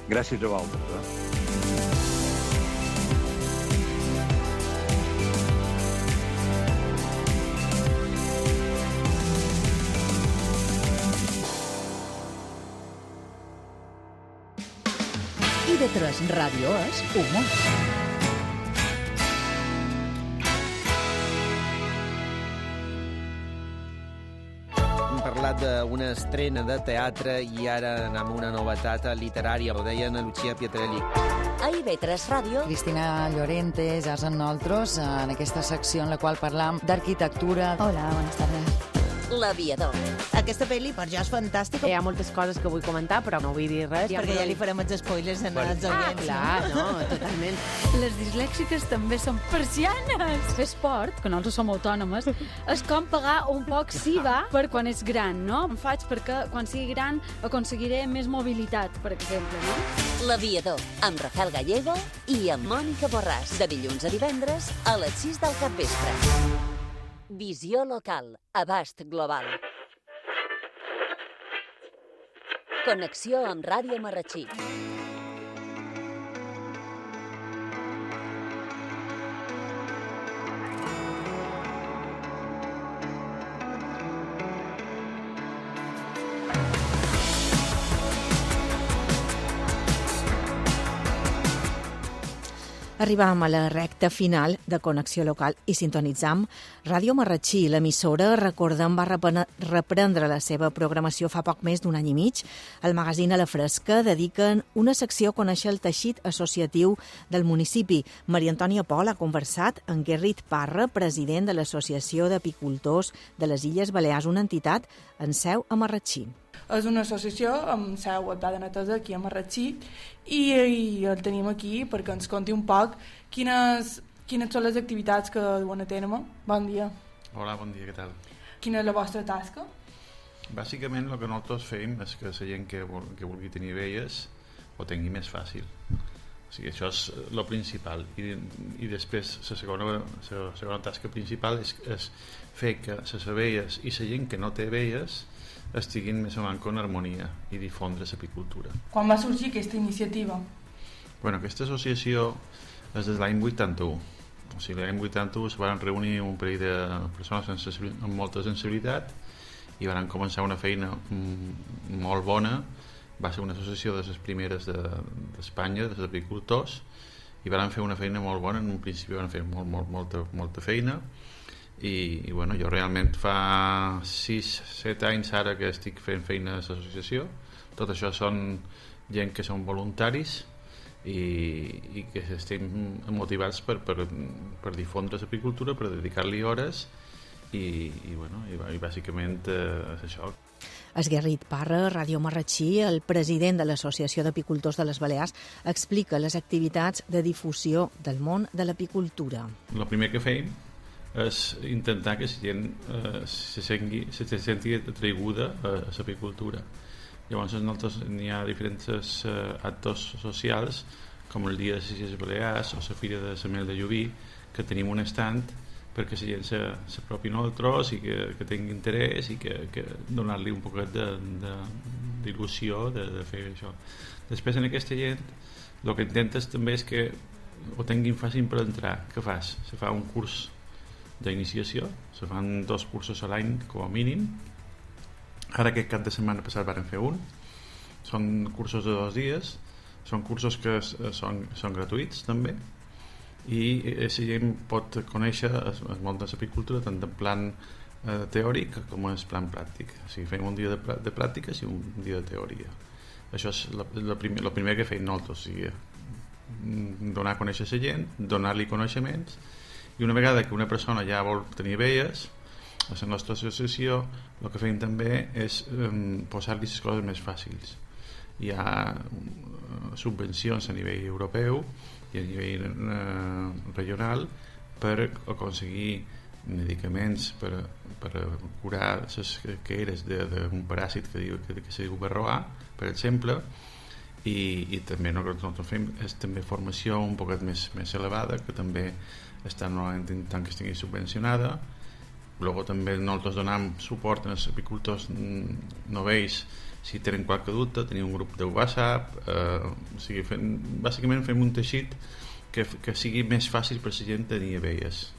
Gràcies a vosaltres. TV3 Ràdio és humor. parlat d'una estrena de teatre i ara anem a una novetat literària, ho deia Ana Lucía Pietrelli. A IB3 Ràdio, Cristina Llorente, ja amb nosaltres, en aquesta secció en la qual parlam d'arquitectura. Hola, buenas tardes. L'Aviador. Aquesta pel·li per jo és fantàstica. Hi ha moltes coses que vull comentar, però no vull dir res. Perquè ja li farem els spoilers als oients. Clar, no, totalment. Les dislèxiques també són persianes. Fer esport, que nosaltres som autònomes, és com pagar un poc SIVA per quan és gran, no? Em faig perquè quan sigui gran aconseguiré més mobilitat, per exemple, no? L'Aviador, amb Rafael Gallego i amb Mònica Borràs, de dilluns a divendres a les 6 del capvespre. Visió local, abast global. Connexió amb Ràdio Marratxí. Arribam a la recta final de Connexió Local i sintonitzam Ràdio Marratxí. L'emissora, recordem, va reprendre la seva programació fa poc més d'un any i mig. El magazín A la Fresca dediquen una secció a conèixer el teixit associatiu del municipi. Maria Antònia Pol ha conversat amb Gerrit Parra, president de l'Associació d'Apicultors de les Illes Balears, una entitat en seu a Marratxí. És una associació amb seu a Pla de Netesa, aquí a Marratxí, i el tenim aquí perquè ens conti un poc quines són les activitats que duen a terme. Bon dia. Hola, bon dia, què tal? Quina és la vostra tasca? Bàsicament el que nosaltres fem és que la gent que vulgui tenir abelles ho tingui més fàcil. O sigui, això és el principal. I després la segona tasca principal és fer que les abelles i la gent que no té abelles estiguin més o menys en harmonia i difondre l'apicultura. Quan va sorgir aquesta iniciativa? Bueno, aquesta associació és des de l'any 81. O sigui, l'any 81 es van reunir un parell de persones amb molta sensibilitat i van començar una feina molt bona. Va ser una associació de les primeres d'Espanya, dels apicultors, i van fer una feina molt bona. En un principi van fer molta feina. I bueno, jo realment fa 6-7 anys ara que estic fent feina a l'associació. Tot això són gent que són voluntaris i que estem motivats per difondre l'apicultura, per dedicar-li hores i bàsicament és això. És Gerrit Parra, Ràdio Marratxí, el president de l'Associació d'Apicultors de les Balears, explica les activitats de difusió del món de l'apicultura. El primer que fem és intentar que la gent se senti atraiguda a l'apicultura. Llavors n'hi ha diferents actes socials, com el Dia de les Illes Balears o la Fira de la Mel de Llubí, que tenim un estand perquè la gent s'apropi a nosaltres i que tingui interès i que donar-li un poquet d'il·lusió de fer això. Després, en aquesta gent, el que intentes també és que ho tinguin fàcil per entrar. Què fas? Se fa un curs d'iniciació, se fan 2 cursos a l'any com a mínim. Ara aquest cap de setmana passat van fer un. Són cursos de 2 dies, són cursos que són gratuïts també, i la gent pot conèixer el món de l'apicultura tant en plan teòric com en plan pràctic. O sigui, fem un dia de pràctiques i un dia de teoria. Això és el primer que fem nosaltres, o sigui, donar a conèixer la gent, donar-li coneixements. I una vegada que una persona ja vol tenir abelles, a la nostra associació el que fem també és posar-li les coses més fàcils. Hi ha subvencions a nivell europeu i a nivell regional per aconseguir medicaments per curar les queres d'un paràsit que se diu varroà, per exemple, i també el que nosaltres fem és també formació un poquet més elevada, que també està normalment intentant que estigui subvencionada. Luego també nosaltres donem suport als apicultors novells si tenen qualque dubte, tenim un grup de WhatsApp, o sigui, bàsicament fem un teixit que sigui més fàcil per la gent tenir abelles.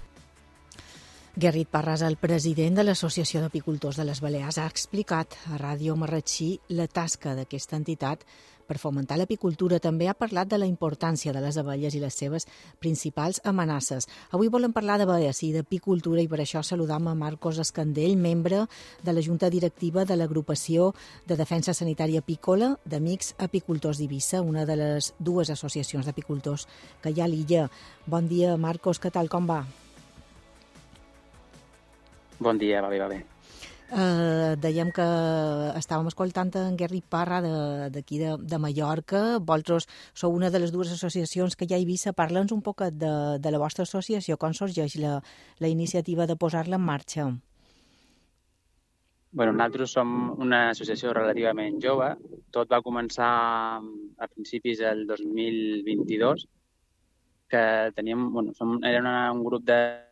Gerrit Parras, el president de l'Associació d'Apicultors de les Balears, ha explicat a Ràdio Marratxí la tasca d'aquesta entitat per fomentar l'apicultura. També ha parlat de la importància de les abelles i les seves principals amenaces. Avui volem parlar d'abelles i d'apicultura i per això saludam a Marcos Escandell, membre de la Junta Directiva de l'Agrupació de Defensa Sanitària Apícola d'Amics Apicultors d'Eivissa, una de les dues associacions d'apicultors que hi ha a l'illa. Bon dia, Marcos, què tal, com va? Bon dia, va bé. Dèiem que estàvem escoltant en Gerrit Parra d'aquí de Mallorca. Vosaltres sou una de les dues associacions que hi ha a Eivissa. Parla'ns un poc de la vostra associació, com sorgeix la iniciativa de posar-la en marxa. Bueno, nosaltres som una associació relativament jove. Tot va començar a principis del 2022, que teníem, era un grup de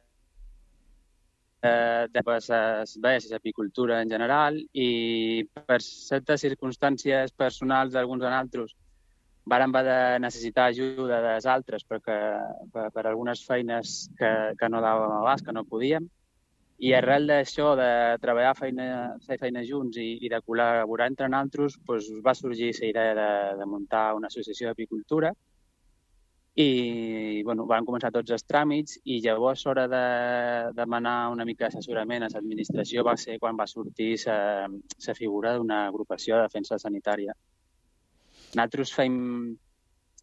abelles i apicultura en general, i per certes circumstàncies personals d'alguns de nosaltres vàrem haver de necessitar ajuda dels altres per algunes feines que no dàvem abast, que no podíem, i arrel d'això, de treballar fer feina junts i de col·laborar entre nosaltres, va sorgir la idea de muntar una associació d'apicultura. I van començar tots els tràmits i llavors l'hora de demanar una mica d'assessorament a l'administració va ser quan va sortir la figura d'una agrupació de defensa sanitària. Nosaltres fem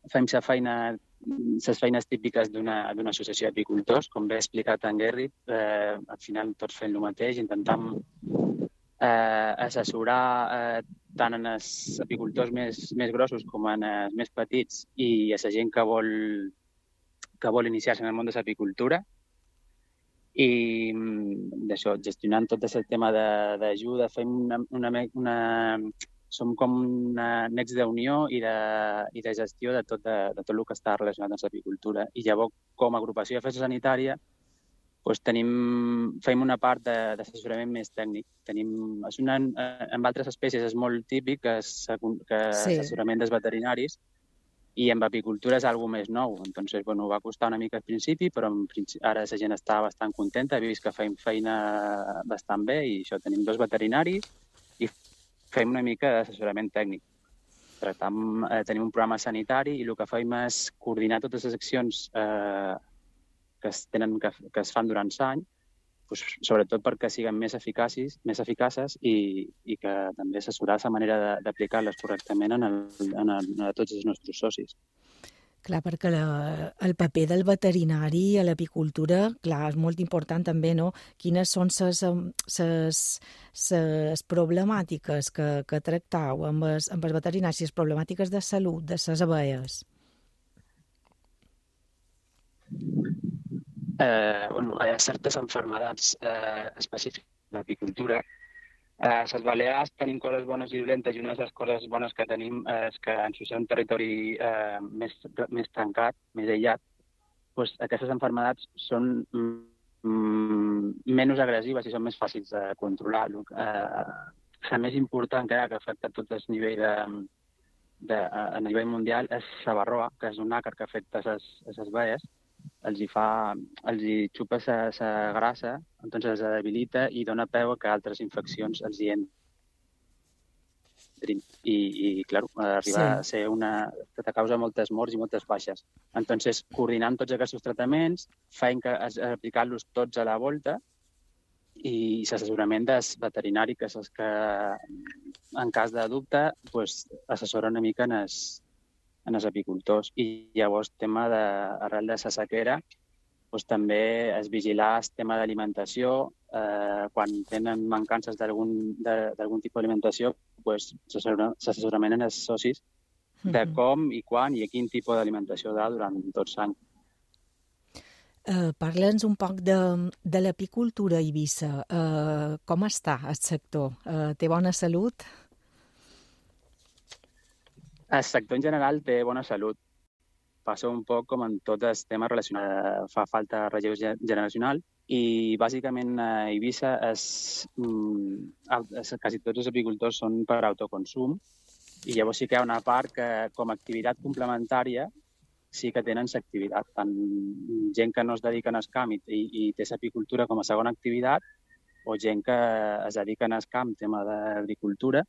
les feines típiques d'una associació d'apicultors, com bé ha explicat en Gerrit. Al final tots fem el mateix, intentem assessorar tant en els apicultors més grossos com en els més petits i a la gent que vol iniciar-se en el món de l'apicultura. I d'això, gestionant tot el tema d'ajuda, som com una nex d'unió i de gestió de tot el que està relacionat amb l'apicultura. I llavors, com a agrupació de defensa sanitària, fem una part d'assessorament més tècnic. En altres espècies és molt típic que l'assessorament dels veterinaris, i en apicultura és alguna més nou. Entonces, va costar una mica al principi, però ara la gent està bastant contenta, he vist que fem feina bastant bé, i això, tenim 2 veterinaris i fem una mica d'assessorament tècnic. Tenim un programa sanitari i el que fem és coordinar totes les accions que es fan durant l'any, sobretot perquè siguin més eficaces i que també assessorar la manera d'aplicar-les correctament a tots els nostres socis. Clar, perquè el paper del veterinari a l'apicultura, clar, és molt important també, no? Quines són les problemàtiques que tractau amb els veterinaris, les problemàtiques de salut de les abelles? Hi ha certes malalties específiques de l'apicultura. A les Balears tenim coses bones i dolentes, i una de les coses bones que tenim és que en ser un territori més tancat, més aïllat, aquestes malalties són menys agressives i són més fàcils de controlar. La més important que afecta tot el nivell a nivell mundial és la varroa, que és un àcar que afecta les abelles. Els xupa la grassa, doncs els debilita i dona peu a que altres infeccions els hi entrin. I clar, arriba a ser que causa moltes morts i moltes baixes. Entonces, coordinant tots aquests tractaments, feim que aplicar-los tots a la volta, i l'assessorament del veterinari, que és el que, en cas de dubte, assessora una mica en els apicultors. I llavors, arrel de la sequera, també és vigilar el tema d'alimentació. Quan tenen mancances d'algun tipus d'alimentació, s'assessorament en els socis de com i quan i a quin tipus d'alimentació durant tot l'any. Parla'ns un poc de l'apicultura a Eivissa. Com està el sector? Té bona salut? El sector en general té bona salut. Passa un poc com en tots els temes relacionats. Fa falta relleu generacional i bàsicament a Eivissa quasi tots els apicultors són per autoconsum, i llavors sí que hi ha una part que com a activitat complementària sí que tenen l'activitat. Tant gent que no es dedica al camp i té l'apicultura com a segona activitat, o gent que es dedica al camp, tema d'agricultura,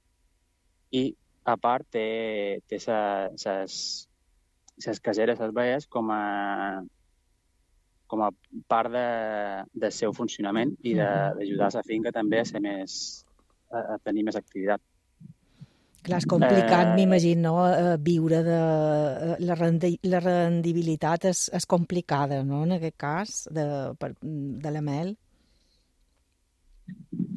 i a part té les caseres, les baies, com a part del seu funcionament i d'ajudar a la finca també a tenir més activitat. Clar, és complicat, m'imagino, viure de... La rendibilitat és complicada, no?, en aquest cas, de la mel.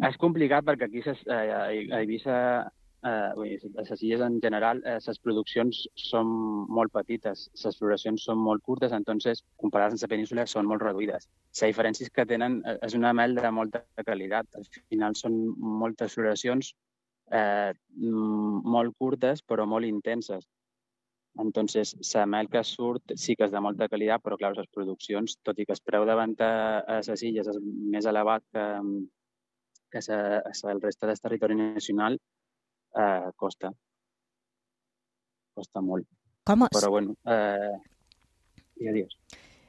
És complicat perquè aquí a Eivissa, a les illes en general, les produccions són molt petites, les floracions són molt curtes, entonces, comparades amb la península, són molt reduïdes. La diferència és que tenen, és una mel de molta qualitat. Al final són moltes floracions molt curtes, però molt intenses. Entonces, la mel que surt sí que és de molta qualitat, però, clar, les produccions, tot i que el preu de venda a les illes és més elevat que el reste del territori nacional, costa molt. Però, bueno, digues.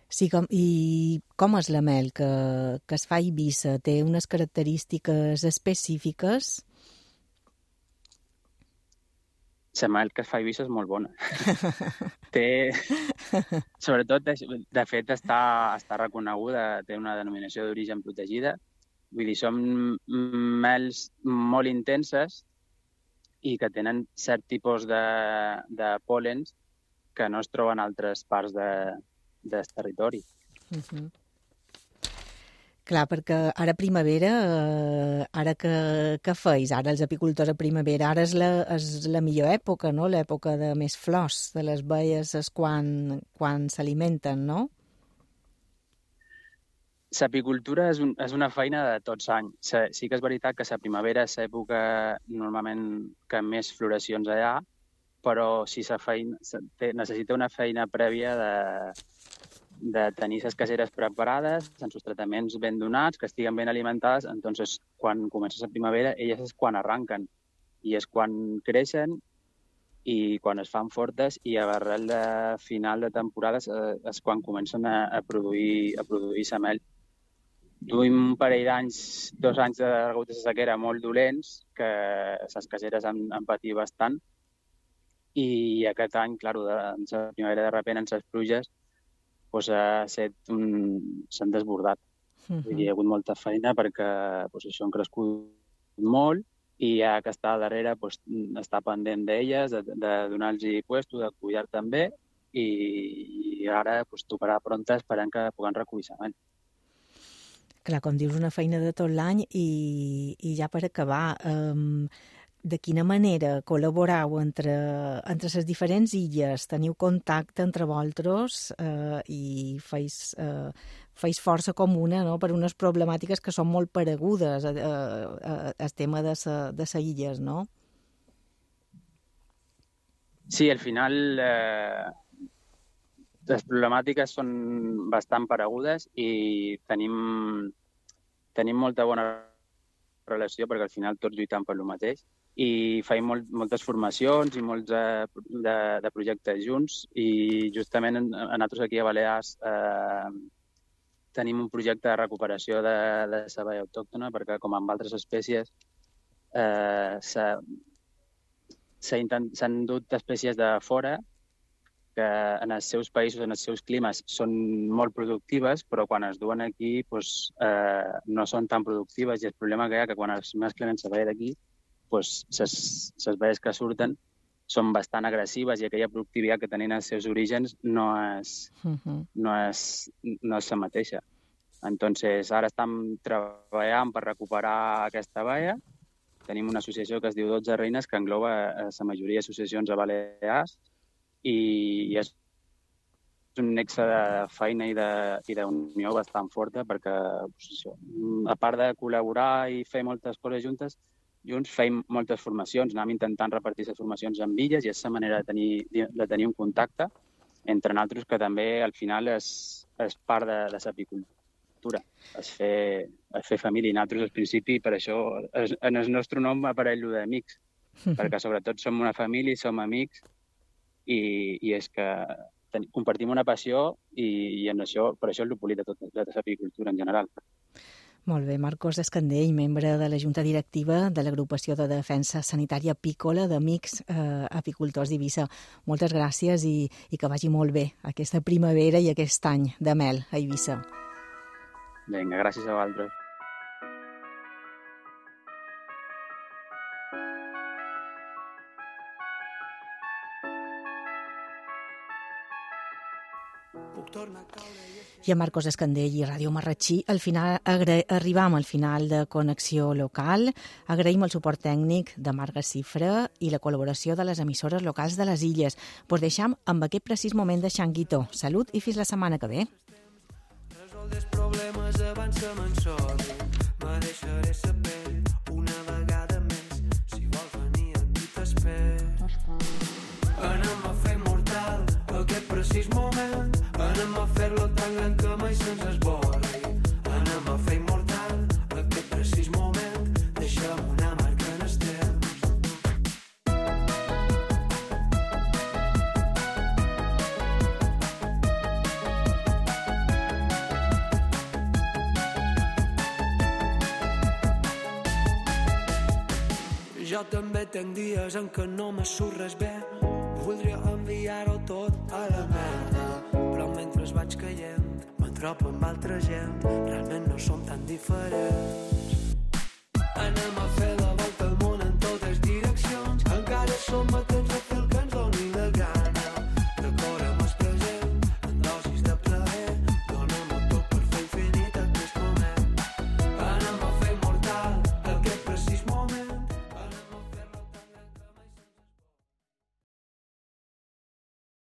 Sí, i com és la mel que es fa a Eivissa? Té unes característiques específiques? La mel que es fa a Eivissa és molt bona. Sobretot, de fet, està reconeguda, té una denominació d'origen protegida. Vull dir, són mels molt intenses i que tenen cert tipus de pol·lens que no es troben a altres parts del territori. Clar, perquè ara primavera, ara que feis? Ara els apicultors a primavera, ara és la millor època, no?, l'època de més flors de les baies és quan s'alimenten, no? L'apicultura és una feina de tots anys. Sí que és veritat que la primavera és l'època normalment que més floracions hi ha, però si necessita una feina prèvia de tenir les caseres preparades, amb els tractaments ben donats, que estiguen ben alimentades, entonces quan comença la primavera, elles és quan arranquen i és quan creixen i quan es fan fortes i a l'arrel de final de temporades és quan comencen a produir la mel. Duim un parell d'anys, 2 anys de degut de sequera molt dolents, que les caseres han patit bastant, i aquest any, clar, en la primavera de repent, en les pluges, s'han desbordat. Hi ha hagut molta feina perquè això han crescut molt i ja que està darrere està pendent d'elles, de donar-los puesto, de cuidar també, i ara tocarà pronta esperant que puguem recollir la mel. Clar, com dius, una feina de tot l'any i ja per acabar, de quina manera col·laborau entre les diferents illes? Teniu contacte entre vosaltres i feis força comuna, no?, per unes problemàtiques que són molt paregudes al tema de les illes, no? Sí, al final les problemàtiques són bastant paregudes i tenim molta bona relació perquè al final tots lluitem per lo mateix. I feim moltes formacions i molts de projectes junts i justament nosaltres aquí a Balears tenim un projecte de recuperació de la baia autòctona perquè com amb altres espècies s'han dut espècies de fora que en els seus països, en els seus climes són molt productives però quan es duen aquí no són tan productives i el problema que hi ha que quan es mesclen en la baia d'aquí les baies que surten són bastant agressives i aquella productivitat que tenen els seus orígens no és la mateixa. Entonces, ara estem treballant per recuperar aquesta baia. Tenim una associació que es diu 12 Reines que engloba la majoria d'associacions a Balears i és un nexe de feina i d'unió bastant forta perquè, a part de col·laborar i fer moltes coses junts feim moltes formacions, anem intentant repartir les formacions amb illes i és la manera de tenir un contacte entre nosaltres que també al final és part de l'apicultura, és fer família. I nosaltres al principi, per això, en el nostre nom apareix allò d'amics, perquè sobretot som una família i som amics i és que compartim una passió i en això, per això és el bonic de l'apicultura en general. Molt bé, Marcos Escandell, membre de la Junta Directiva de l'Agrupació de Defensa Sanitària Apícola d'Amics Apicultors d'Eivissa. Moltes gràcies i que vagi molt bé aquesta primavera i aquest any de mel a Eivissa. Vinga, gràcies a vosaltres. I a Marcos Escandell i Ràdio Marratxí, arribam al final de Connexió Local. Agraïm el suport tècnic de Marga Cifra i la col·laboració de les emissores locals de les Illes. Pues deixam amb aquest precís moment de Xanguito. Salut i fins la setmana que ve. Resol dels problemes abans que m'ensoli. Me deixaré sa pell una vegada més. Si vols venir aquí t'espero. Anem a fer immortal aquest precís moment. Anem a fer-lo tan gran que mai se'ns esborri. Anem a fer immortal aquest precís moment. Deixem una marca en el temps. Jo també tenc dies en què no me surt res bé. Voldria enviar-ho tot a la merda, però mentre vaig caient m'atropo amb altra gent. Realment no som tan diferents. Anem a fer